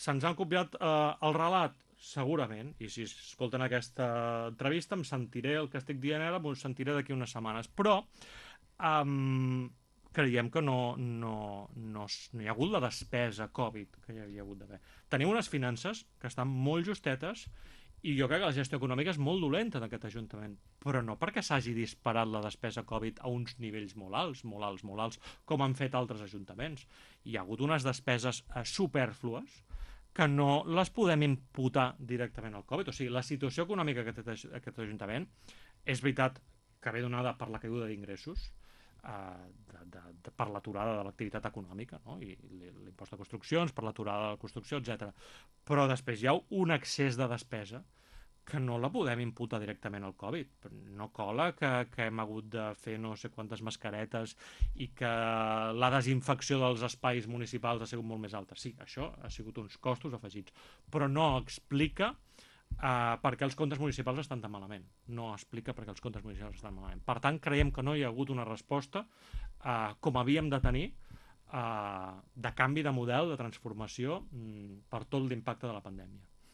se'ns han copiat el relat? Segurament, i si escolten aquesta entrevista em sentiré el que estic dient ara, m'ho sentiré d'aquí unes setmanes, però creiem que no hi ha hagut la despesa Covid que hi havia hagut d'haver. Tenim unes finances que estan molt justetes i jo crec que la gestió econòmica és molt dolenta d'aquest Ajuntament, però no perquè s'hagi disparat la despesa Covid a uns nivells molt alts, molt alts, molt alts, com han fet altres ajuntaments. Hi ha hagut unes despeses supèrflues que no les podem imputar directament al Covid. O sigui, la situació econòmica que té aquest Ajuntament és veritat que ve donada per la caiguda d'ingressos, per l'aturada de l'activitat econòmica, no? I l'impost de construccions, per l'aturada de la construcció, etc. Però després hi ha un excés de despesa que no la podem imputar directament al Covid. No cola que hem hagut de fer no sé quantes mascaretes i que la desinfecció dels espais municipals ha sigut molt més alta. Sí, això ha sigut uns costos afegits, però no explica per què els comptes municipals estan tan malament. No explica per què els comptes municipals estan malament. Per tant, creiem que no hi ha hagut una resposta com havíem de tenir de canvi de model, de transformació per tot l'impacte de la pandèmia.